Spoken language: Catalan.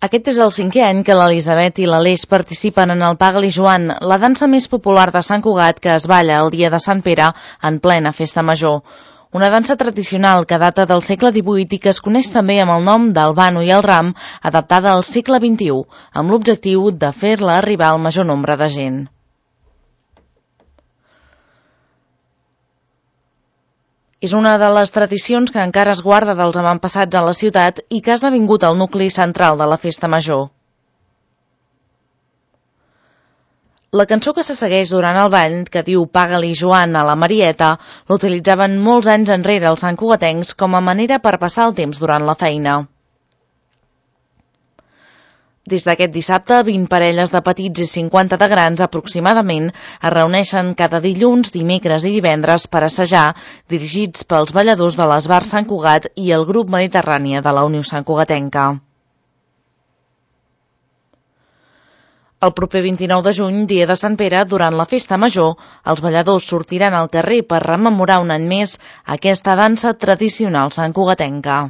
Aquest és el 5è any que l'Elisabet i l'Aleix participen en el Paga-li Joan, la dansa més popular de Sant Cugat que es balla el dia de Sant Pere en plena festa major. Una dansa tradicional que data del segle XVIII i que es coneix també amb el nom del Vano i el Ram, adaptada al segle XXI, amb l'objectiu de fer-la arribar al major nombre de gent. És una de les tradicions que encara es guarda dels avantpassats a la ciutat i que ha esdevingut el nucli central de la festa major. La cançó que se segueix durant el ball, que diu Paga-li Joan a la Marieta, l'utilitzaven molts anys enrere els santcugatencs com a manera per passar el temps durant la feina. Des d'aquest dissabte, 20 parelles de petits i 50 de grans aproximadament es reuneixen cada dilluns, dimecres i divendres per assajar, dirigits pels balladors de l'Esbar Sant Cugat i el grup Mediterrània de la Unió Santcugatenca. El proper 29 de juny, dia de Sant Pere, durant la festa major, els balladors sortiran al carrer per rememorar un any més aquesta dansa tradicional santcugatenca.